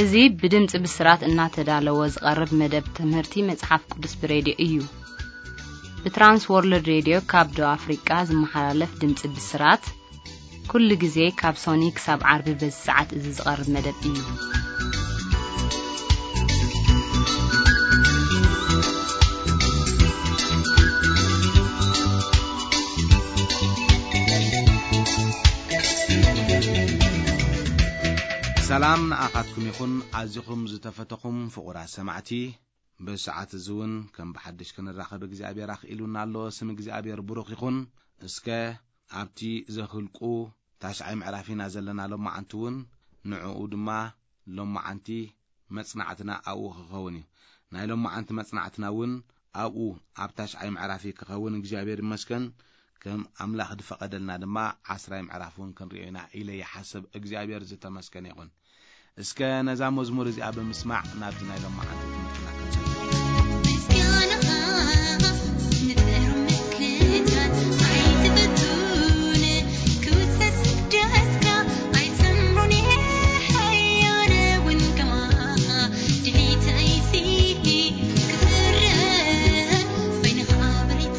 እዚ ብድምጺ ብስራት እናተዳለወ ዝቐርብ መደብ ትምህርቲ መጽሓፍ ቅዱስ ብሬድዮ እዩ። ብትራንስ ወርልድ ሬድዮ ካብ ደቡብ ኣፍሪቃ ዝመሓላለፍ ድምጺ ብስራት፣ ኩሉ ግዜ ካብ ሶኒ ክሳብ ዓርቢ በዚ ሰዓት እዚ ዝቐርብ መደብ እዩ። ሰላም ንኣኻትኩም ይኹን፣ ኣዚኹም ዝተፈተኹም ፍቑራት ሰማዕቲ። ብሰዓት እዚ እውን ከም ብሓድሽ ክንራኸብ እግዚኣብሔር ኣኽኢሉና ኣሎ። ስም እግዚኣብሔር ብሩኽ ይኹን። እስከ ኣብቲ ዘኽልቁ ታሽዓይ ምዕራፍ ኢና ዘለና ሎማዓንቲ እውን፣ ንዕኡ ድማ ሎማዓንቲ መጽናዕትና ኣብኡ ክኸውን እዩ። ናይ ሎማዓንቲ መጽናዕትና እውን ኣብኡ ኣብ ታሽዓይ ምዕራፍ እዩ ክኸውን። እግዚኣብሔር ይመስገን። ከም ኣምላኽ ዝፈቐደልና ድማ ዓስራይ ምዕራፍ እውን ክንሪኦ ኢና ኢለ ይሓስብ። እግዚኣብሔር ዝተመስገነ ይኹን። እስከ ነዛ መዝሙር እዚኣ ብምስማዕ ናብዚ ናይ ሎማዓንቲ ትምህርትና ክንሰግር። ምስጋናኻ ንጥሩ ምስልታት ኣይትፈቱን፣ ክውሰስ ስግደትካ ኣይሰምሩን፣ ሓያለ እውን ከማኻ ድሌተይሲ ክፍረ በይንኻ ብሪት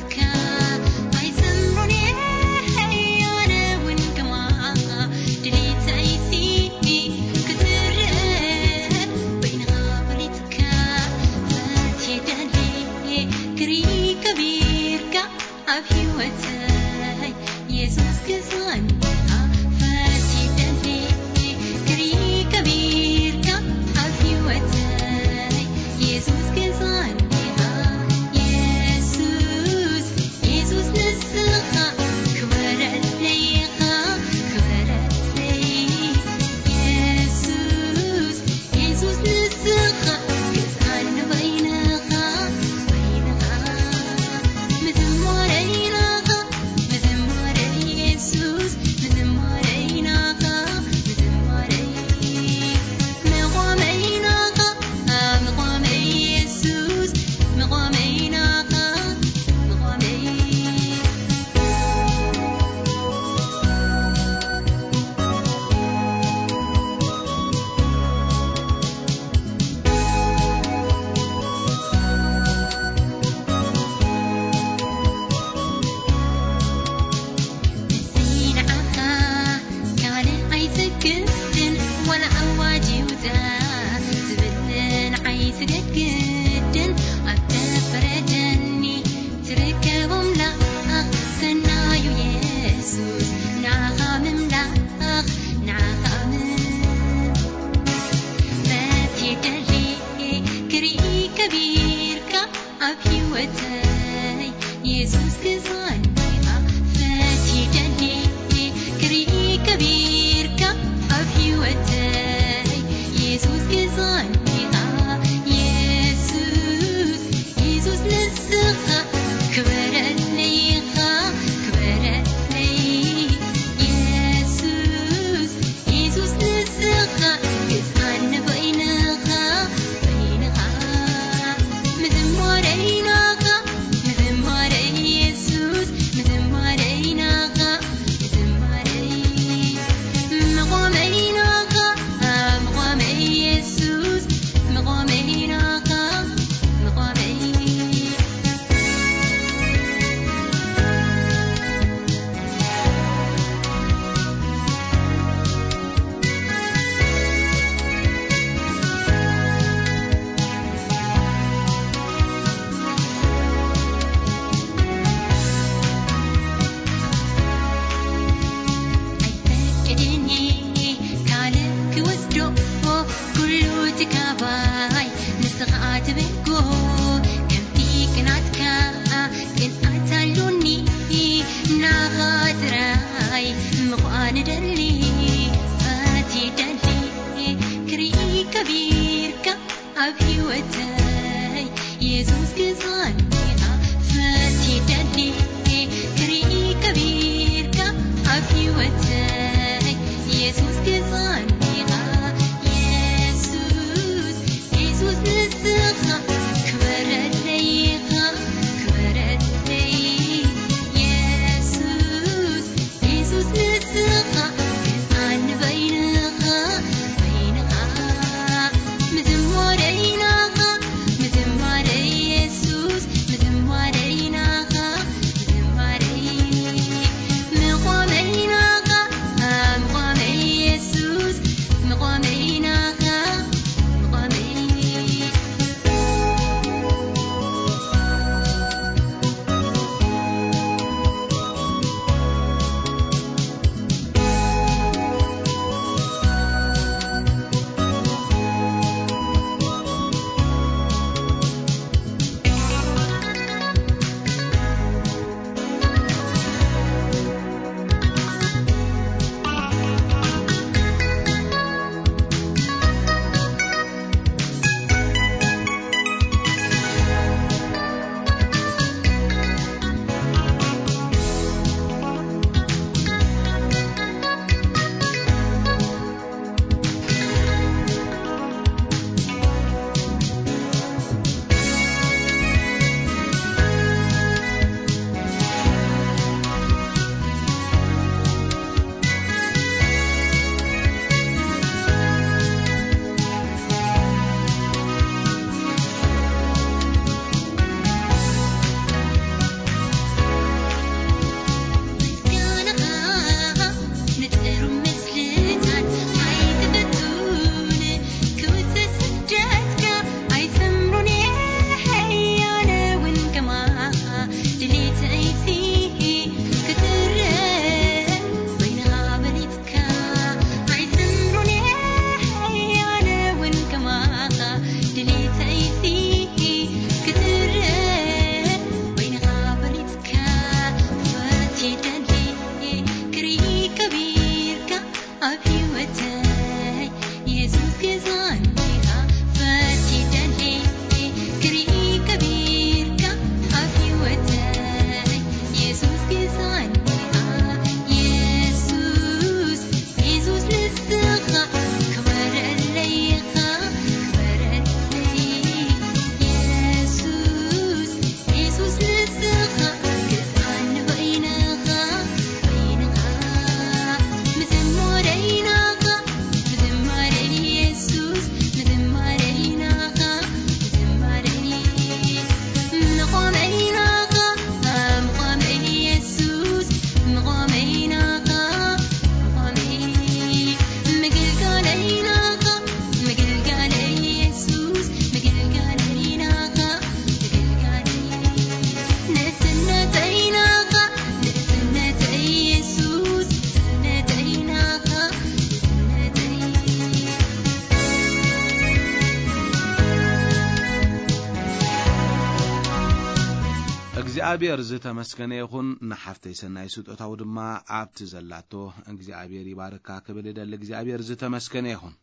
እግዚኣብሔር ዝተመስገነ ይኹን። ንሓፍተይ ሰናይ ስጦታው ድማ ኣብቲ ዘላቶ እግዚኣብሔር ይባርካ ክብል እደሊ። እግዚኣብሔር ዝተመስገነ ይኹን።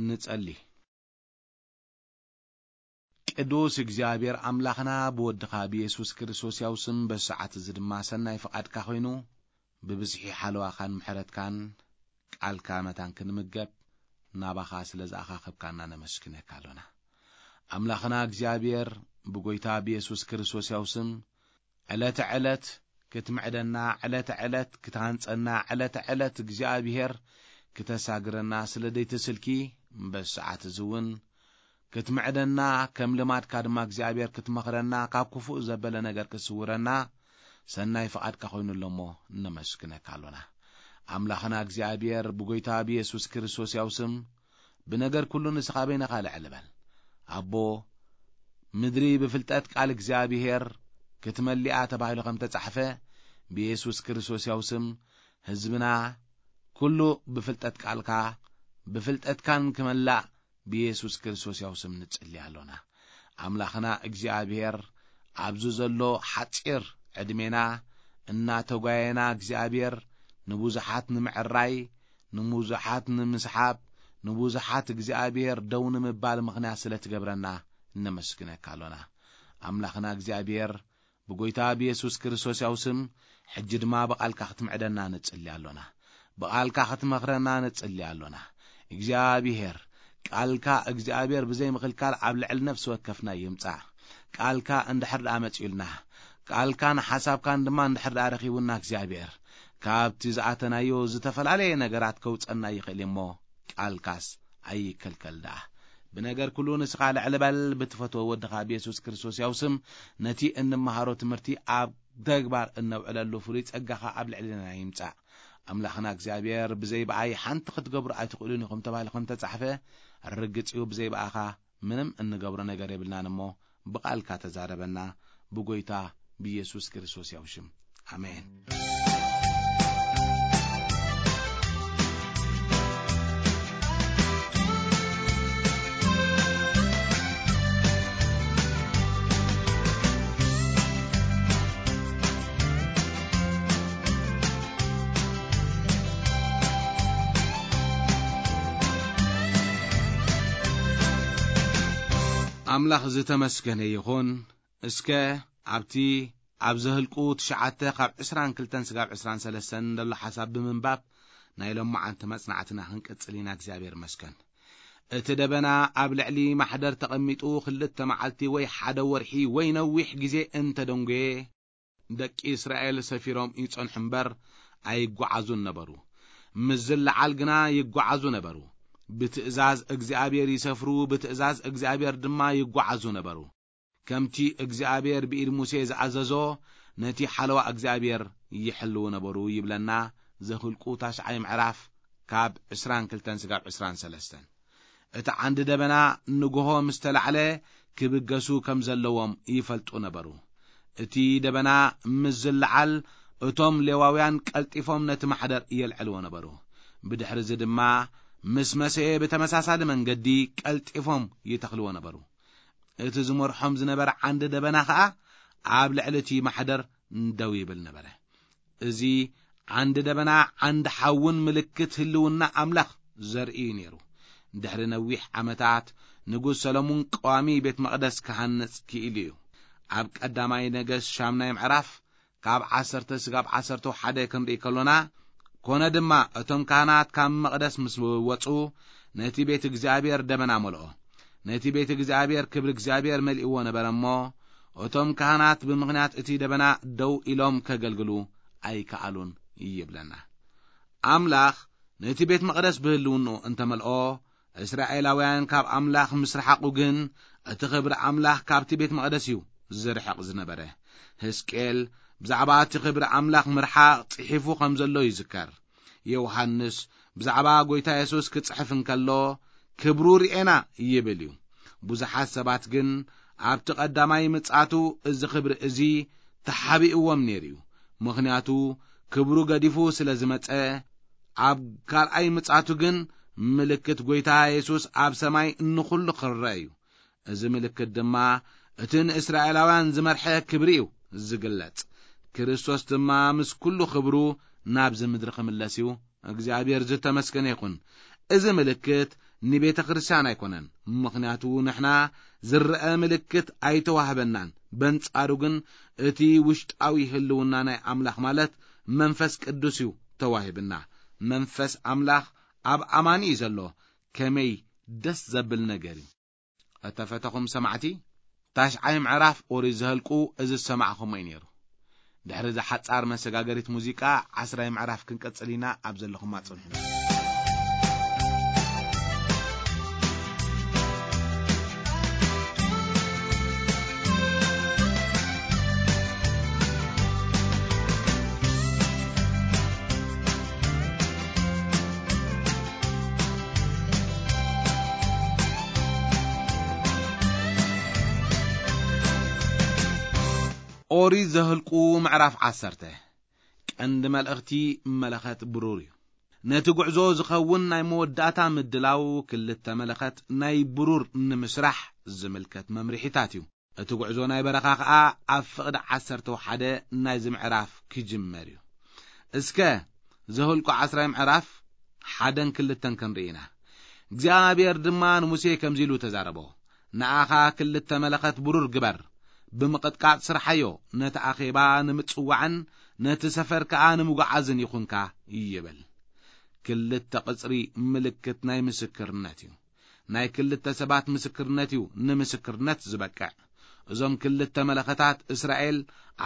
ንጸሊ። ቅዱስ እግዚኣብሔር ኣምላኽና፣ ብወድኻ ብየሱስ ክርስቶስ ያው ስም በሰዓት እዚ ድማ ሰናይ ፍቓድካ ኮይኑ፣ ብብዝሒ ሓለዋኻን ምሕረትካን ቃልካ መታን ክንምገብ ናባኻ ስለ ዝኣኻኸብካና ነመስግነካ ኣሎና። ኣምላኽና እግዚኣብሔር፣ ብጎይታ ብየሱስ ክርስቶስ ያው ስም ዕለተ ዕለት ክትምዕደና፣ ዕለተ ዕለት ክትሃንጸና፣ ዕለተ ዕለት እግዚኣብሔር ክተሳግረና ስለ ደይትስልኪ፣ በዚ ሰዓት እዚ እውን ክትምዕደና፣ ከም ልማድካ ድማ እግዚኣብሔር ክትመኽረና፣ ካብ ክፉእ ዘበለ ነገር ክትስውረና ሰናይ ፍቓድካ ኮይኑ ኣሎ እሞ ነመስግነካ ኣሎና። ኣምላኽና እግዚኣብሔር ብጎይታ ብየሱስ ክርስቶስ ያው ስም ብነገር ኩሉ ንስኻ በይንኻ ልዕል በል። ኣቦ፣ ምድሪ ብፍልጠት ቃል እግዚኣብሔር ክትመሊኣ ተባሂሉ ከም ተጻሕፈ፣ ብየሱስ ክርስቶስ ያው ስም ህዝብና ኩሉ ብፍልጠት ቃልካ፣ ብፍልጠትካን ክመላእ ብየሱስ ክርስቶስ ያው ስም ንጽሊ ኣሎና። ኣምላኽና እግዚኣብሔር፣ ኣብዚ ዘሎ ሓጺር ዕድሜና እናተጓየና እግዚኣብሔር ንብዙሓት ንምዕራይ፣ ንብዙሓት ንምስሓብ፣ ንብዙሓት እግዚኣብሔር ደው ንምባል ምኽንያት ስለ ትገብረና እነመስግነካ ኣሎና። ኣምላኽና እግዚኣብሔር፣ ብጎይታ ብየሱስ ክርስቶስ ያው ስም፣ ሕጂ ድማ ብቓልካ ክትምዕደና ንጽሊ ኣሎና። ብቓልካ ክትመኽረና ንጽሊ ኣሎና። እግዚኣብሔር፣ ቃልካ እግዚኣብሔር ብዘይ ምኽልካል ኣብ ልዕሊ ነፍሲ ወከፍና ይምጻእ። ቃልካ እንድሕር ደኣ መጺኡልና፣ ቃልካን ሓሳብካን ድማ እንድሕር ደኣ ረኺቡና እግዚኣብሔር፣ ካብቲ ዝኣተናዮ ዝተፈላለየ ነገራት ከውጸና ይኽእል እሞ፣ ቃልካስ ኣይከልከል ደኣ። ብነገር ኩሉ ንስኻ ልዕል በል፣ ብትፈትዎ ወድኻ ብየሱስ ክርስቶስ ያው ስም ነቲ እንመሃሮ ትምህርቲ ኣብ ተግባር እነውዕለሉ ፍሉይ ጸጋኻ ኣብ ልዕልና ይምጻእ። ኣምላኽና እግዚኣብሔር፣ ብዘይ ብኣይ ሓንቲ ክትገብሩ ኣይትኽእሉን ኢኹም ተባሂሉ ከም ተጻሕፈ፣ ርግጽ እዩ፣ ብዘይ ብኣኻ ምንም እንገብሮ ነገር የብልናን እሞ፣ ብቓልካ ተዛረበና፣ ብጎይታ ብኢየሱስ ክርስቶስ ያው ሽም። ኣሜን። ኣምላኽ ዝተመስገነ ይኹን። እስከ ኣብቲ ኣብ ዘህልቁ ትሽዓተ ካብ ዕስራን ክልተን ስጋብ ዕስራን ሰለስተን ዘሎ ሓሳብ ብምንባብ ናይ ሎማዓንቲ መጽናዕትና ክንቅጽል ኢና። እግዚኣብሔር መስገን። እቲ ደበና ኣብ ልዕሊ ማሕደር ተቐሚጡ ክልተ መዓልቲ ወይ ሓደ ወርሒ ወይ ነዊሕ ግዜ እንተደንጎየ፣ ደቂ እስራኤል ሰፊሮም ይጸንሑ እምበር ኣይጓዓዙን ነበሩ። ምስ ዝለዓል ግና ይጓዓዙ ነበሩ። ብትእዛዝ እግዚኣብሔር ይሰፍሩ፣ ብትእዛዝ እግዚኣብሔር ድማ ይጓዓዙ ነበሩ። ከምቲ እግዚኣብሔር ብኢድ ሙሴ ዝኣዘዞ ነቲ ሓለዋ እግዚኣብሔር ይሕልዉ ነበሩ ይብለና ዘኍልቁ ታሽዓይ ምዕራፍ ካብ ዕስራን ክልተን ስጋብ ዕስራን ሰለስተን። እቲ ዓንዲ ደበና ንግሆ ምስ ተላዕለ ክብገሱ ከም ዘለዎም ይፈልጡ ነበሩ። እቲ ደበና ምስ ዝለዓል እቶም ሌዋውያን ቀልጢፎም ነቲ ማሕደር የልዕልዎ ነበሩ። ብድሕሪ እዚ ድማ ምስ መሰየ ብተመሳሳሊ መንገዲ ቀልጢፎም ይተኽልዎ ነበሩ። እቲ ዝመርሖም ዝነበረ ዓንዲ ደበና ኸኣ ኣብ ልዕሊ እቲ ማሕደር ደው ይብል ነበረ። እዚ ዓንዲ ደበና ዓንዲ ሓውን ምልክት ህልውና ኣምላኽ ዘርኢ እዩ ነይሩ። ድሕሪ ነዊሕ ዓመታት ንጉስ ሰሎሞን ቀዋሚ ቤት መቕደስ ክሃንጽ ክኢሉ እዩ። ኣብ ቀዳማይ ነገስት ሻምናይ ምዕራፍ ካብ ዓሰርተ ስጋብ ዓሰርተ ሓደ ክንርኢ ከሎና፣ ኮነ ድማ እቶም ካህናት ካብ መቕደስ ምስ ወጹ ነቲ ቤት እግዚኣብሔር ደበና መልኦ። ነቲ ቤት እግዚኣብሔር ክብሪ እግዚኣብሔር መሊእዎ ነበረ እሞ፣ እቶም ካህናት ብምኽንያት እቲ ደበና ደው ኢሎም ከገልግሉ ኣይከኣሉን ይብለና። ኣምላኽ ነቲ ቤት መቕደስ ብህልውንኡ እንተመልኦ፣ እስራኤላውያን ካብ ኣምላኽ ምስ ረሓቑ ግን፣ እቲ ክብሪ ኣምላኽ ካብቲ ቤት መቕደስ እዩ ዝርሕቕ ዝነበረ። ሕዝቅኤል ብዛዕባ እቲ ክብሪ ኣምላኽ ምርሓቕ ጽሒፉ ከም ዘሎ ይዝከር። ዮሃንስ ብዛዕባ ጐይታ የሱስ ክጽሕፍ እንከሎ፣ ክብሩ ርኤና ይብል እዩ። ብዙሓት ሰባት ግን ኣብቲ ቀዳማይ ምጽኣቱ እዚ ክብሪ እዚ ተሓቢእዎም ነይሩ እዩ። ምኽንያቱ ክብሩ ገዲፉ ስለ ዝመጸ፣ ኣብ ካልኣይ ምጽኣቱ ግን ምልክት ጐይታ የሱስ ኣብ ሰማይ ንኹሉ ክረአ እዩ። እዚ ምልክት ድማ እቲ ንእስራኤላውያን ዝመርሐ ክብሪ እዩ። ዝግለጽ። ክርስቶስ ድማ ምስ ኩሉ ክብሩ ናብዚ ምድሪ ክምለስ እዩ። እግዚኣብሔር ዝተመስገነ ይኹን። እዚ ምልክት ንቤተ ክርስቲያን ኣይኮነን፣ ምኽንያቱ ንሕና ዝረአ ምልክት ኣይተዋህበናን። በንጻሩ ግን እቲ ውሽጣዊ ህልውና ናይ ኣምላኽ ማለት መንፈስ ቅዱስ እዩ ተዋሂብና። መንፈስ ኣምላኽ ኣብ ኣማኒ እዩ ዘሎ። ከመይ ደስ ዘብል ነገር እዩ። እተፈተኹም ሰማዕቲ፣ ታሽዓይ ምዕራፍ ኦሪት ዘህልቁ እዚ ዝሰማዕኹሞ እዩ ነይሩ። ድሕሪ እዛ ሓጻር መሰጋገሪት ሙዚቃ፣ ዓስራይ ምዕራፍ ክንቀጽል ኢና። ኣብ ዘለኹም ኣጽንሑና። ኦሪት ዘህልቁ ምዕራፍ ዓሰርተ። ቀንዲ መልእኽቲ መለኸት ብሩር እዩ። ነቲ ጉዕዞ ዝኸውን ናይ መወዳእታ ምድላው ክልተ መለኸት ናይ ብሩር ንምስራሕ ዝምልከት መምርሒታት እዩ። እቲ ጉዕዞ ናይ በረኻ ኸኣ ኣብ ፍቕዲ ዓሰርተ ሓደ ናይዚ ምዕራፍ ክጅመር እዩ። እስከ ዘሁልቁ ዓስራይ ምዕራፍ ሓደን ክልተን ክንርኢ ኢና። እግዚኣብሔር ድማ ንሙሴ ከምዚ ኢሉ ተዛረቦ፣ "ንኣኻ ክልተ መለኸት ብሩር ግበር፣ ብምቕጥቃጥ ስርሓዮ፣ ነቲ ኣኼባ ንምጽዋዕን ነቲ ሰፈር ከኣ ንምጉዓዝን ይኹንካ" ይብል። ክልተ ቕጽሪ ምልክት ናይ ምስክርነት እዩ። ናይ ክልተ ሰባት ምስክርነት እዩ ንምስክርነት ዝበቅዕ። እዞም ክልተ መለኸታት እስራኤል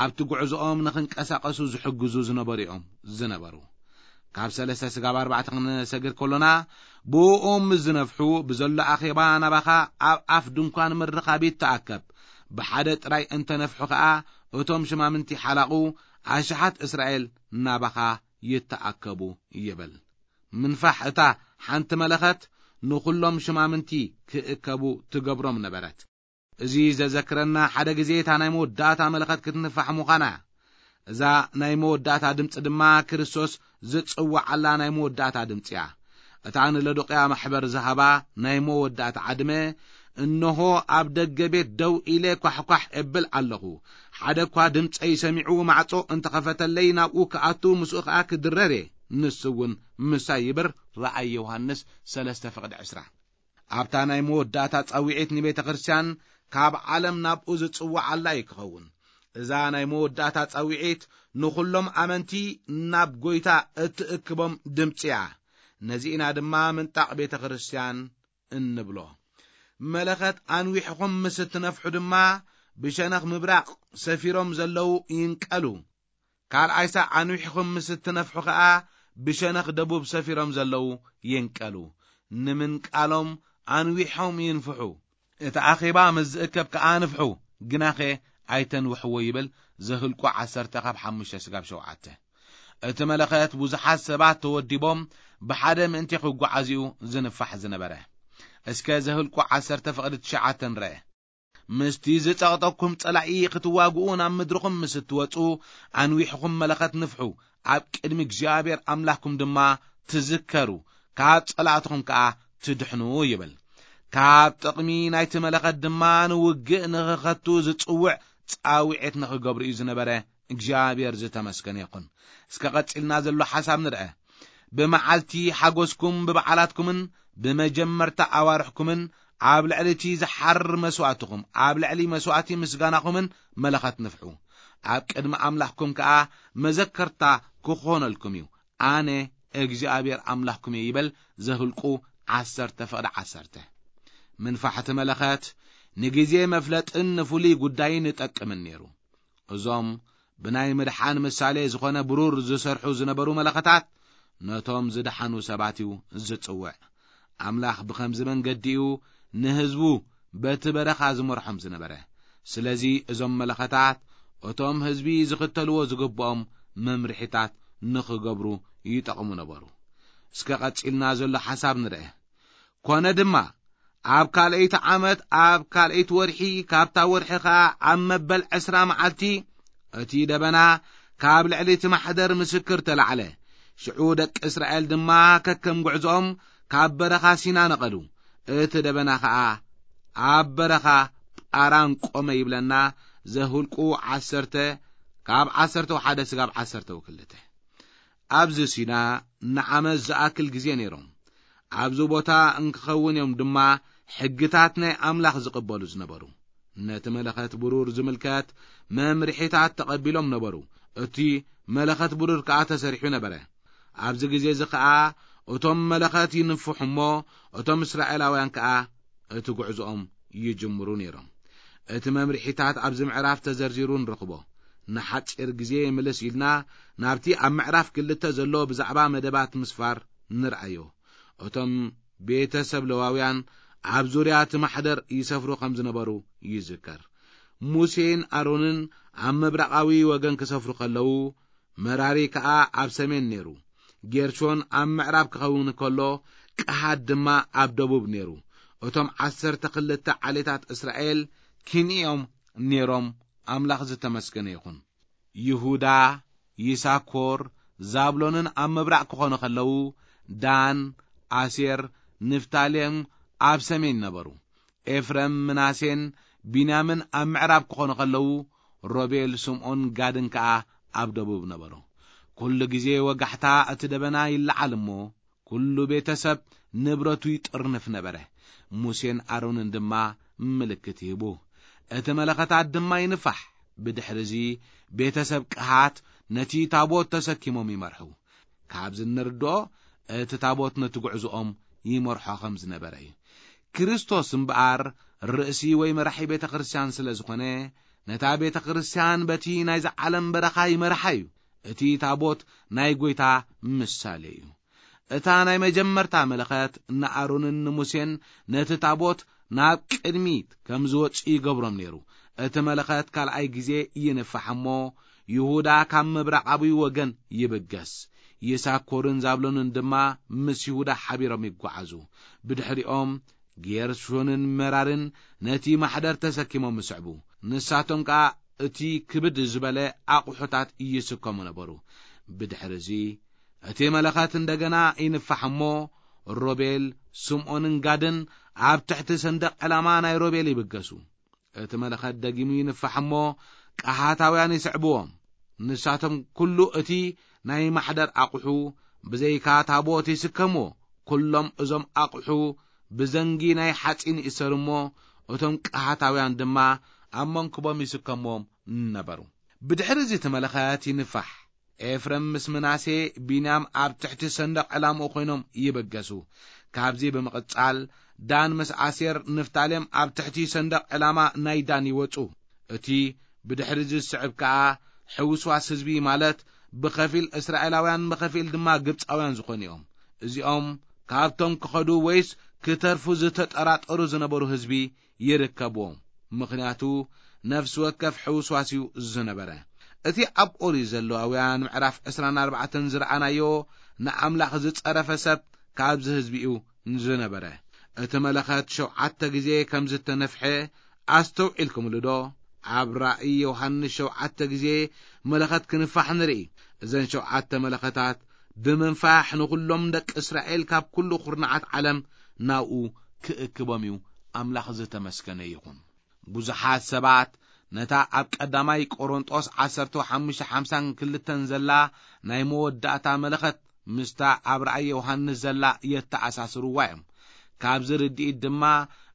ኣብቲ ጉዕዞኦም ንኽንቀሳቐሱ ዝሕግዙ ዝነበሩ እዮም ዝነበሩ። ካብ ሰለስተ ስጋብ ኣርባዕተ ክንሰግር ከሎና፣ ብእኦም ምስ ዝነፍሑ፣ ብዘሎ ኣኼባ ናባኻ ኣብ ኣፍ ድንኳን ምርኻብ ይተኣከብ። ብሓደ ጥራይ እንተነፍሑ ኸኣ፣ እቶም ሽማምንቲ ሓላቑ ኣሽሓት እስራኤል ናባኻ ይተኣከቡ ይብል። ምንፋሕ እታ ሓንቲ መለኸት ንኹሎም ሽማምንቲ ክእከቡ ትገብሮም ነበረት። እዚ ዘዘክረና፣ ሓደ ግዜ እታ ናይ መወዳእታ መለኸት ክትንፋሕ ምዃና እያ። እዛ ናይ መወዳእታ ድምፂ ድማ ክርስቶስ ዝጽውዓላ ናይ መወዳእታ ድምፂ እያ። እታ ንሎዶቅያ ማሕበር ዝሃባ ናይ መወዳእታ ዓድመ፣ "እንሆ ኣብ ደገ ቤት ደው ኢለ ኳሕኳሕ እብል ኣለኹ። ሓደ እኳ ድምፀይ ሰሚዑ ማዕጾ እንተኸፈተለይ ናብኡ ክኣቱ ምስኡ ኸኣ ክድረር እየ። ንሱ እውን ምሳይ ይብር" ራእይ ዮሃንስ ሰለስተ ፍቕዲ ዕስራ። ኣብታ ናይ መወዳእታ ጸዊዒት ንቤተ ክርስቲያን ካብ ዓለም ናብኡ ዝጽውዓላ እዩ ክኸውን። እዛ ናይ መወዳእታ ጸዊዒት ንኹሎም ኣመንቲ ናብ ጐይታ እትእክቦም ድምጺ እያ። ነዚ ኢና ድማ ምንጣቕ ቤተ ክርስቲያን እንብሎ። መለኸት ኣንዊሕኹም ምስ እትነፍሑ ድማ ብሸነኽ ምብራቕ ሰፊሮም ዘለዉ ይንቀሉ። ካልኣይ ሳዕ ኣንዊሕኹም ምስ እትነፍሑ ኸኣ ብሸነኽ ደቡብ ሰፊሮም ዘለዉ ይንቀሉ። ንምንቃሎም ኣንዊሖም ይንፍሑ። እቲ ኣኼባ ምስ ዝእከብ ከኣ ንፍሑ፣ ግናኸ ኣይተንውሕዎ ይብል ዘህልቁ ዓሰርተ ካብ ሓሙሽተ ስጋብ ሸውዓተ። እቲ መለኸት ብዙሓት ሰባት ተወዲቦም ብሓደ ምእንቲ ክጓዓዙ እዩ ዝንፋሕ ዝነበረ። እስከ ዘህልቁ ዓሰርተ ፍቕዲ ትሽዓተ ንርአ። "ምስቲ ዝጸቕጠኩም ጸላኢ ክትዋግኡ ናብ ምድርኹም ምስ እትወጹ፣ ኣንዊሕኹም መለኸት ንፍሑ፣ ኣብ ቅድሚ እግዚኣብሔር ኣምላኽኩም ድማ ትዝከሩ፣ ካብ ጸላእትኹም ከኣ ትድሕኑ" ይብል። ካብ ጥቕሚ ናይቲ መለኸት ድማ ንውግእ ንኽኸቱ ዝጽውዕ ጻውዒት ንኽገብሩ እዩ ዝነበረ። እግዚኣብሔር ዝተመስገነ ይኹን። እስከ ቀጺልና ዘሎ ሓሳብ ንርአ። ብመዓልቲ ሓጎስኩም ብበዓላትኩምን ብመጀመርታ ኣዋርሕኩምን ኣብ ልዕሊ እቲ ዝሓርር መስዋእትኹም፣ ኣብ ልዕሊ መስዋእቲ ምስጋናኹምን መለኸት ንፍሑ። ኣብ ቅድሚ ኣምላኽኩም ከኣ መዘከርታ ክኾነልኩም እዩ። ኣነ እግዚኣብሔር ኣምላኽኩም እየ ይበል። ዘህልቁ ዓሰርተ ፍቕዲ ዓሰርተ። ምንፋሕቲ መለኸት ንግዜ መፍለጥን ንፍሉይ ጉዳይን ይጠቅምን ነይሩ። እዞም ብናይ ምድሓን ምሳሌ ዝኾነ ብሩር ዝሰርሑ ዝነበሩ መለኸታት ነቶም ዝደሓኑ ሰባት እዩ ዝጽውዕ። ኣምላኽ ብኸምዚ መንገዲ እዩ ንህዝቡ በቲ በረኻ ዝመርሖም ዝነበረ። ስለዚ እዞም መለኸታት እቶም ህዝቢ ዝኽተልዎ ዝግብኦም መምርሒታት ንኽገብሩ ይጠቕሙ ነበሩ። እስከ ቀጺልና ዘሎ ሓሳብ ንርአ። ኮነ ድማ፣ ኣብ ካልኣይቲ ዓመት፣ ኣብ ካልኣይቲ ወርሒ፣ ካብታ ወርሒ ኸኣ ኣብ መበል ዕስራ መዓልቲ፣ እቲ ደበና ካብ ልዕሊ እቲ ማሕደር ምስክር ተላዕለ። ሽዑ ደቂ እስራኤል ድማ ከከም ጉዕዞኦም ካብ በረኻ ሲና ነቐሉ። እቲ ደበና ኸኣ ኣብ በረኻ ጳራን ቆመ ይብለና ዘሁልቁ ዓሰርተ፣ ካብ ዓሰርተ ሓደ ስጋብ ዓሰርተ ክልተ። ኣብዚ ሲና ንዓመት ዝኣክል ግዜ ነይሮም። ኣብዚ ቦታ እንክኸውን እዮም ድማ ሕግታት ናይ ኣምላኽ ዝቕበሉ ዝነበሩ። ነቲ መለኸት ብሩር ዝምልከት መምርሒታት ተቐቢሎም ነበሩ። እቲ መለኸት ብሩር ከኣ ተሰሪሑ ነበረ። ኣብዚ ግዜ እዚ ከኣ እቶም መለኸት ይንፍሑ እሞ፣ እቶም እስራኤላውያን ከኣ እቲ ጉዕዞኦም ይጅምሩ ነይሮም። እቲ መምርሒታት ኣብዚ ምዕራፍ ተዘርዚሩ ንረኽቦ። ንሓጺር ግዜ ምልስ ኢልና ናብቲ ኣብ ምዕራፍ ክልተ ዘሎ ብዛዕባ መደባት ምስፋር ንርኣዮ። እቶም ቤተሰብ ለዋውያን ኣብ ዙርያ እቲ ማሕደር ይሰፍሩ ከም ዝነበሩ ይዝከር። ሙሴን ኣሮንን ኣብ ምብራቓዊ ወገን ክሰፍሩ ከለዉ፣ መራሪ ከኣ ኣብ ሰሜን ነይሩ። ጌርሾን ኣብ ምዕራብ ክኸውን ከሎ፣ ቀሃት ድማ ኣብ ደቡብ ነይሩ። እቶም ዓሰርተ ክልተ ዓሌታት እስራኤል ክንዮም ነይሮም። ኣምላኽ ዝተመስገነ ይኹን። ይሁዳ፣ ይሳኮር፣ ዛብሎንን ኣብ ምብራቕ ክኾኑ ከለዉ፣ ዳን፣ ኣሴር፣ ንፍታሌም ኣብ ሰሜን ነበሩ። ኤፍረም፣ ምናሴን ቢንያምን ኣብ ምዕራብ ክኾኑ ከለዉ፣ ሮቤል፣ ስምዖን፣ ጋድን ከኣ ኣብ ደቡብ ነበሩ። ኩሉ ግዜ ወጋሕታ እቲ ደበና ይለዓል እሞ፣ ኩሉ ቤተሰብ ንብረቱ ይጥርንፍ ነበረ። ሙሴን ኣሮንን ድማ ምልክት ይህቡ። እቲ መለኸታት ድማ ይንፋሕ። ብድሕሪ እዚ ቤተሰብ ቀሃት ነቲ ታቦት ተሰኪሞም ይመርሑ። ካብዚ እንርድኦ እቲ ታቦት ነቲ ጉዕዞኦም ይመርሖ ከም ዝነበረ እዩ። ክርስቶስ እምበኣር ርእሲ ወይ መራሒ ቤተ ክርስቲያን ስለ ዝኾነ፣ ነታ ቤተ ክርስቲያን በቲ ናይዚ ዓለም በረኻ ይመርሓ እዩ። እቲ ታቦት ናይ ጐይታ ምሳሌ እዩ። እታ ናይ መጀመርታ መለኸት ንኣሮንን ንሙሴን ነቲ ታቦት ናብ ቅድሚት ከም ዝወጽኡ ይገብሮም ነይሩ። እቲ መለኸት ካልኣይ ግዜ ይንፋሕ እሞ፣ ይሁዳ ካብ ምብራቓዊ ወገን ይብገስ። ይሳኮርን ዛብሎንን ድማ ምስ ይሁዳ ሓቢሮም ይጓዓዙ። ብድሕሪኦም ጌርሾንን መራርን ነቲ ማሕደር ተሰኪሞም ይስዕቡ። ንሳቶም ከኣ እቲ ክብድ ዝበለ ኣቑሑታት ይስከሙ ነበሩ። ብድሕሪ እዚ እቲ መለኸት እንደገና ይንፋሕ እሞ፣ ሮቤል፣ ስምዖንን ጋድን ኣብ ትሕቲ ሰንደቕ ዕላማ ናይ ሮቤል ይብገሱ። እቲ መለኸት ደጊሙ ይንፋሕ እሞ፣ ቀሃታውያን ይስዕብዎም። ንሳቶም ኩሉ እቲ ናይ ማሕደር ኣቑሑ፣ ብዘይካ ታቦት ይስከምዎ። ኩሎም እዞም ኣቑሑ ብዘንጊ ናይ ሓጺን ይእሰሩ እሞ፣ እቶም ቀሃታውያን ድማ ኣብ መንክቦም ይስከምዎም ነበሩ። ብድሕሪ እዚ እቲ መለኸት ይንፋሕ። ኤፍረም ምስ ምናሴ፣ ቢንያም ኣብ ትሕቲ ሰንደቕ ዕላምኡ ኮይኖም ይበገሱ። ካብዚ ብምቕጻል፣ ዳን ምስ ኣሴር፣ ንፍታሌም ኣብ ትሕቲ ሰንደቕ ዕላማ ናይ ዳን ይወጹ። እቲ ብድሕሪ እዚ ዝስዕብ ከኣ ሕውስዋስ ህዝቢ፣ ማለት ብኸፊል እስራኤላውያን ብኸፊል ድማ ግብጻውያን ዝኾኑ እዮም። እዚኦም ካብቶም ክኸዱ ወይስ ክተርፉ ዝተጠራጠሩ ዝነበሩ ህዝቢ ይርከብዎም። ምኽንያቱ ነፍሲ ወከፍ ሕውስዋስ እዩ ዝነበረ። እቲ ኣብ ኦሪት ዘለዋውያን ምዕራፍ ዕስራን ኣርባዕተን ዝረኣናዮ ንኣምላኽ ዝጸረፈ ሰብ ካብዚ ህዝቢ እዩ ዝነበረ። እቲ መለኸት ሸውዓተ ግዜ ከም ዝተነፍሐ ኣስተውዒልኩምሉ ዶ? ኣብ ራእይ ዮሃንስ ሸውዓተ ግዜ መለኸት ክንፋሕ ንርኢ። እዘን ሸውዓተ መለኸታት ብምንፋሕ ንኹሎም ደቂ እስራኤል ካብ ኩሉ ኩርናዓት ዓለም ናብኡ ክእክቦም እዩ። ኣምላኽ ዝተመስገነ ይኹን። ብዙሓት ሰባት ነታ ኣብ ቀዳማይ ቆሮንጦስ ዓሰርተ ሓሙሽተ ሓምሳን ክልተን ዘላ ናይ መወዳእታ መለኸት ምስታ ኣብ ራእይ ዮሃንስ ዘላ የተኣሳስርዋ እዮም። ካብዚ ርድኢት ድማ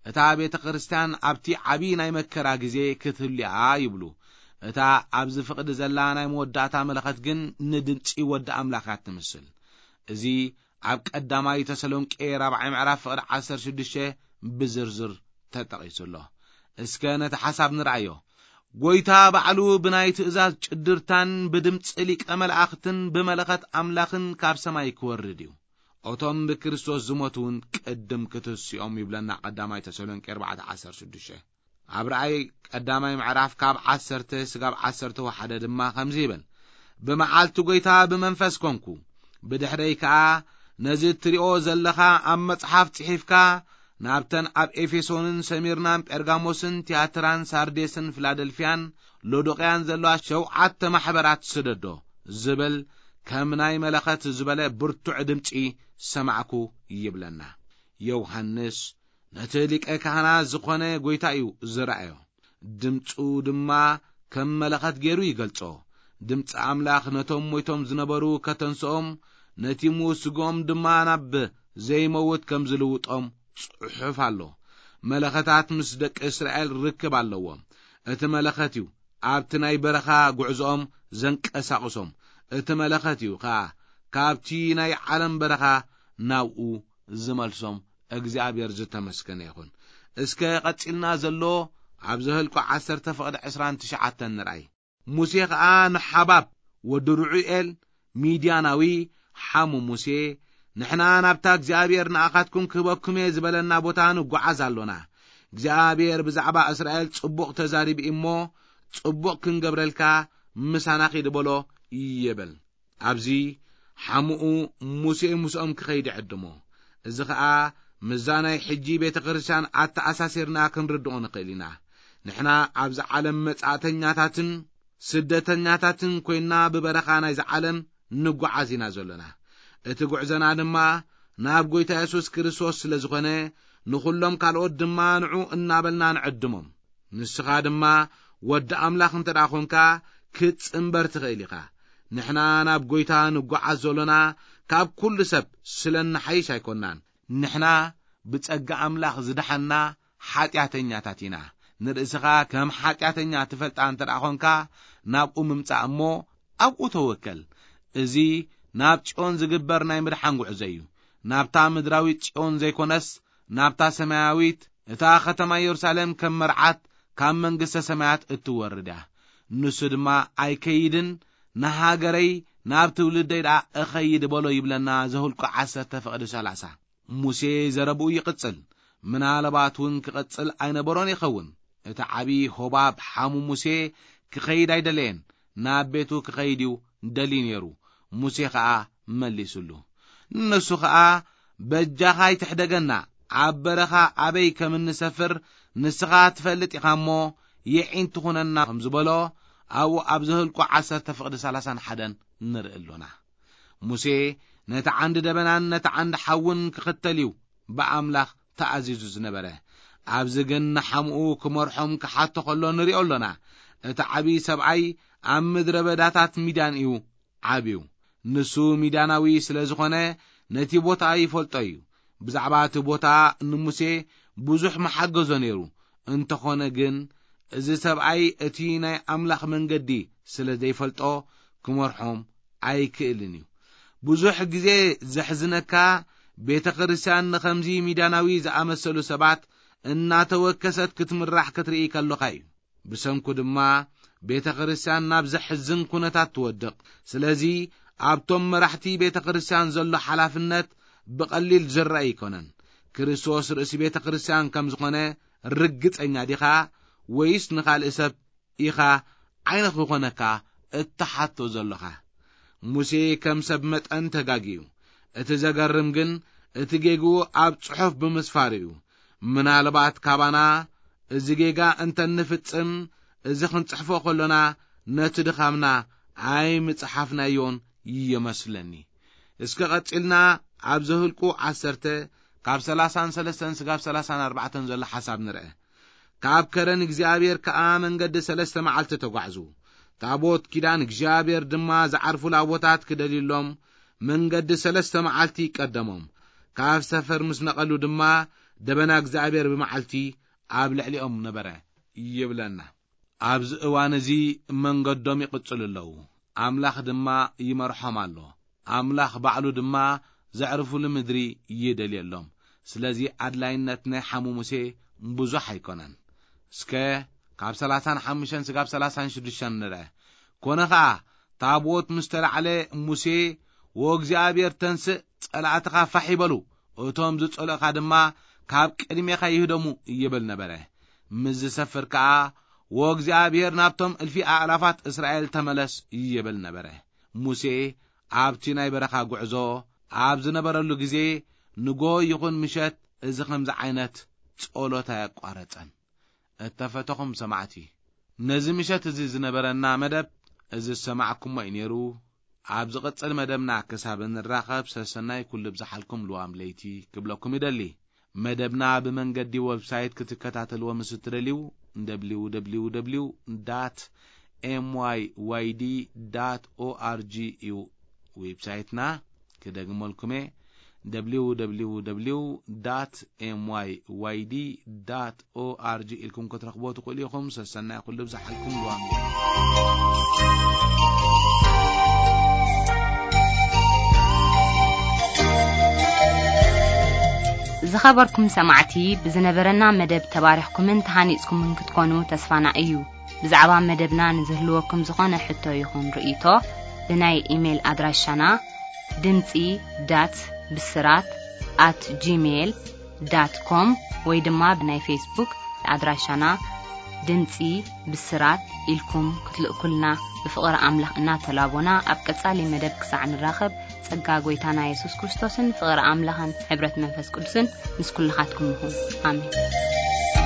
እታ ቤተ ክርስቲያን ኣብቲ ዓቢ ናይ መከራ ግዜ ክትህሉ እያ ይብሉ። እታ ኣብዚ ፍቕዲ ዘላ ናይ መወዳእታ መለኸት ግን ንድምጺ ወዲ ኣምላኽ እያ ትምስል። እዚ ኣብ ቀዳማይ ተሰሎንቄ ራብዓይ ምዕራፍ ፍቕዲ ዓሰርተ ሽዱሽተ ብዝርዝር ተጠቒሱ ኣሎ። እስከ ነቲ ሓሳብ ንርኣዮ። ጐይታ ባዕሉ ብናይ ትእዛዝ ጭድርታን ብድምጺ ሊቀ መላእኽትን ብመለኸት ኣምላኽን ካብ ሰማይ ክወርድ እዩ። እቶም ብክርስቶስ ዝሞቱ እውን ቅድም ክትስኦም ይብለና ቀዳማይ ተሰሎንቄ ኣርባዕተ ዓሰርተ ሽዱሽተ። ኣብ ራእይ ቀዳማይ ምዕራፍ ካብ ዓሰርተ ስጋብ ዓሰርተ ሓደ ድማ ከምዚ ይብል፣ ብመዓልቲ ጐይታ ብመንፈስ ኮንኩ። ብድሕረይ ከኣ ነዚ እትሪኦ ዘለኻ ኣብ መጽሓፍ ጽሒፍካ ናብተን ኣብ ኤፌሶንን ሰሚርናን ጴርጋሞስን ትያትራን ሳርዴስን ፊላደልፍያን ሎዶቅያን ዘለዋ ሸውዓተ ማሕበራት ስደዶ ዝብል ከም ናይ መለኸት ዝበለ ብርቱዕ ድምጺ ሰማዕኩ ይብለና። ዮሃንስ ነቲ ሊቀ ካህናት ዝኾነ ጐይታ እዩ ዝረኣዮ። ድምፁ ድማ ከም መለኸት ገይሩ ይገልጾ። ድምፂ ኣምላኽ ነቶም ሞይቶም ዝነበሩ ከተንስኦም፣ ነቲ ምዉት ስግኦም ድማ ናብ ዘይመውት ከም ዝልውጦም ጽሑፍ ኣሎ። መለኸታት ምስ ደቂ እስራኤል ርክብ ኣለዎም። እቲ መለኸት እዩ ኣብቲ ናይ በረኻ ጉዕዞኦም ዘንቀሳቕሶም። እቲ መለኸት እዩ ኸኣ ካብቲ ናይ ዓለም በረኻ ናብኡ ዝመልሶም። እግዚኣብሔር ዝተመስገነ ይኹን። እስከ ቀጺልና ዘሎ ኣብ ዘኍልቁ ዓሰርተ ፍቕዲ ዕስራን ትሽዓተን ንርኣይ። ሙሴ ኸኣ ንሓባብ ወዲ ርዑኤል ሚድያናዊ ሓሙ ሙሴ፣ ንሕና ናብታ እግዚኣብሔር ንኣኻትኩም ክህበኩም እየ ዝበለና ቦታ ንጓዓዝ ኣሎና። እግዚኣብሔር ብዛዕባ እስራኤል ጽቡቕ ተዛሪቡ እሞ፣ ጽቡቕ ክንገብረልካ ምሳና ኺድ በሎ ይብል። ኣብዚ ሓሙኡ ሙሴ ምስኦም ክኸይድ ይዕድሞ። እዚ ኸኣ ምስዛ ናይ ሕጂ ቤተ ክርስቲያን ኣተኣሳሲርና ክንርድኦ ንኽእል ኢና። ንሕና ኣብዚ ዓለም መጻእተኛታትን ስደተኛታትን ኮይንና ብበረኻ ናይዚ ዓለም ንጓዓዝ ኢና ዘሎና። እቲ ጉዕዘና ድማ ናብ ጐይታ የሱስ ክርስቶስ ስለ ዝኾነ፣ ንኹሎም ካልኦት ድማ ንዑ እናበልና ንዕድሞም። ንስኻ ድማ ወዲ ኣምላኽ እንተ ደኣ ኾንካ፣ ክትጽንበር ትኽእል ኢኻ። ንሕና ናብ ጐይታ ንጓዓዝ ዘሎና፣ ካብ ኩሉ ሰብ ስለ እንሓይሽ ኣይኮንናን። ንሕና ብጸጋ ኣምላኽ ዝደሓንና ሓጢኣተኛታት ኢና። ንርእስኻ ከም ሓጢኣተኛ ትፈልጣ እንተ ደኣ ኾንካ፣ ናብኡ ምምጻእ እሞ ኣብኡ ተወከል። እዚ ናብ ጽዮን ዝግበር ናይ ምድሓን ጉዕዞ እዩ። ናብታ ምድራዊት ጽዮን ዘይኮነስ፣ ናብታ ሰማያዊት፣ እታ ኸተማ የሩሳሌም ከም መርዓት ካብ መንግስተ ሰማያት እትወርድ እያ። ንሱ ድማ ኣይከይድን፣ ንሃገረይ ናብ ትውልደይ ደኣ እኸይድ በሎ ይብለና ዘኍልቁ ዓሰርተ ፍቕዲ ሰላሳ። ሙሴ ዘረብኡ ይቕጽል። ምናልባት እውን ክቕጽል ኣይነበሮን ይኸውን። እቲ ዓቢ ሆባብ ሓሙ ሙሴ ክኸይድ ኣይደለየን፣ ናብ ቤቱ ክኸይድ እዩ ደልዩ ነይሩ። ሙሴ ኸኣ መሊሱሉ። ንሱ ኸኣ፣ በጃኻ ኣይትሕደገና፣ ኣብ በረኻ ኣበይ ከም እንሰፍር ንስኻ ትፈልጥ ኢኻ እሞ፣ የዒንት ኩነና ከም ዝበሎ፣ ኣብኡ ኣብ ዘኍልቁ ዓሰርተ ፍቕዲ ሰላሳን ሓደን ንርኢ ኣሎና። ሙሴ ነቲ ዓንዲ ደበናን ነቲ ዓንዲ ሓውን ክኽተል እዩ ብኣምላኽ ተኣዚዙ ዝነበረ። ኣብዚ ግን ንሓምኡ ክመርሖም ክሓቶ ኸሎ ንሪኦ ኣሎና። እቲ ዓብዪ ሰብኣይ ኣብ ምድረ በዳታት ሚድያን እዩ ዓብዩ። ንሱ ሚድያናዊ ስለ ዝኾነ ነቲ ቦታ ይፈልጦ እዩ። ብዛዕባ እቲ ቦታ ንሙሴ ብዙሕ መሓገዞ ነይሩ። እንተኾነ ግን እዚ ሰብኣይ እቲ ናይ ኣምላኽ መንገዲ ስለ ዘይፈልጦ ክመርሖም ኣይክእልን እዩ። ብዙሕ ግዜ ዘሕዝነካ ቤተ ክርስቲያን ንኸምዚ ሚድያናዊ ዝኣመሰሉ ሰባት እናተወከሰት ክትምራሕ ክትርኢ ከለኻ እዩ። ብሰንኩ ድማ ቤተ ክርስቲያን ናብ ዘሕዝን ኩነታት ትወድቕ። ስለዚ ኣብቶም መራሕቲ ቤተ ክርስቲያን ዘሎ ሓላፍነት ብቐሊል ዝረአ ኣይኮነን። ክርስቶስ ርእሲ ቤተ ክርስቲያን ከም ዝኾነ ርግጸኛ ዲኻ? ወይስ ንኻልእ ሰብ ኢኻ ዓይኒ ክኾነካ እትሓቶ ዘሎኻ? ሙሴ ከም ሰብ መጠን ተጋግዩ። እቲ ዘገርም ግን እቲ ጌግኡ ኣብ ጽሑፍ ብምስፋሩ እዩ። ምናልባት ካባና እዚ ጌጋ እንተ እንፍጽም፣ እዚ ክንጽሕፎ ከሎና ነቲ ድኻምና ኣይምጽሓፍናዮን ይመስለኒ። እስከ ቀጺልና ኣብ ዘኍልቁ ዓሰርተ ካብ ሰላሳን ሰለስተን ስጋብ ሰላሳን ኣርባዕተን ዘሎ ሓሳብ ንርአ። ካብ ከረን እግዚኣብሔር ከኣ መንገዲ ሰለስተ መዓልቲ ተጓዕዙ። ታቦት ኪዳን እግዚኣብሔር ድማ ዝዓርፉላ ቦታት ክደልዩሎም መንገዲ ሰለስተ መዓልቲ ቀደሞም። ካብ ሰፈር ምስ ነቐሉ ድማ ደበና እግዚኣብሔር ብመዓልቲ ኣብ ልዕሊኦም ነበረ ይብለና። ኣብዚ እዋን እዚ መንገዶም ይቕጽሉ ኣለዉ። ኣምላኽ ድማ ይመርሖም ኣሎ። ኣምላኽ ባዕሉ ድማ ዘዕርፉሉ ምድሪ ይደልየሎም። ስለዚ ኣድላይነት ናይ ሓሙ ሙሴ ብዙሕ ኣይኮነን። እስከ ካብ ሰላሳን ሓሙሽተን ስጋብ ሰላሳን ሽዱሽተን ንርአ። ኮነ ኸኣ ታቦት ምስ ተላዕለ ሙሴ፣ "ወእግዚኣብሔር ተንስእ፣ ጸላእትኻ ፋሕ ይበሉ፣ እቶም ዝጸልኡኻ ድማ ካብ ቅድሜኻ ይህደሙ" ይብል ነበረ። ምስ ዝሰፍር ከኣ፣ "ወእግዚኣብሔር ናብቶም እልፊ ኣእላፋት እስራኤል ተመለስ" ይብል ነበረ። ሙሴ ኣብቲ ናይ በረኻ ጉዕዞ ኣብ ዝነበረሉ ግዜ፣ ንጎ ይኹን ምሸት፣ እዚ ኸምዚ ዓይነት ጸሎት ኣየቋረጸን። እተፈተኹም ሰማዕቲ፣ ነዚ ምሸት እዚ ዝነበረና መደብ እዚ ዝሰማዕኩሞ እዩ ነይሩ። ኣብ ዝቕጽል መደብና ክሳብ እንራኸብ፣ ሰሰናይ ኩሉ ብዝሓልኩም ልዋም ለይቲ ክብለኩም ይደሊ። መደብና ብመንገዲ ዌብሳይት ክትከታተልዎ ምስ እትደልዩ፣ www dot myyd dot org እዩ ዌብሳይትና። ክደግመልኩም እየ፣ www dot myyd dot org ኢልኩም ክትረኽቦ ትኽእሉ ኢኹም። ሰሰናይ ኩሉ ብዝሓልኩም። ሉዋም ዝኸበርኩም ሰማዕቲ፣ ብዝነበረና መደብ ተባሪኽኩምን ተሃኒጽኩምን ክትኮኑ ተስፋና እዩ። ብዛዕባ መደብና ንዝህልወኩም ዝኾነ ሕቶ ይኹን ርእይቶ፣ ብናይ ኢሜይል ኣድራሻና ድምጺ ዳት ብስራት ኣት ጂሜይል ዳት ኮም ወይ ድማ ብናይ ፌስቡክ ኣድራሻና ድምጺ ብስራት ኢልኩም ክትልእኩልና ብፍቕሪ ኣምላኽ እናተላቦና፣ ኣብ ቀጻሊ መደብ ክሳዕ ንራኸብ፣ ጸጋ ጐይታና የሱስ ክርስቶስን ፍቕሪ ኣምላኽን ሕብረት መንፈስ ቅዱስን ምስ ኩልኻትኩም ይኹን። ኣሜን።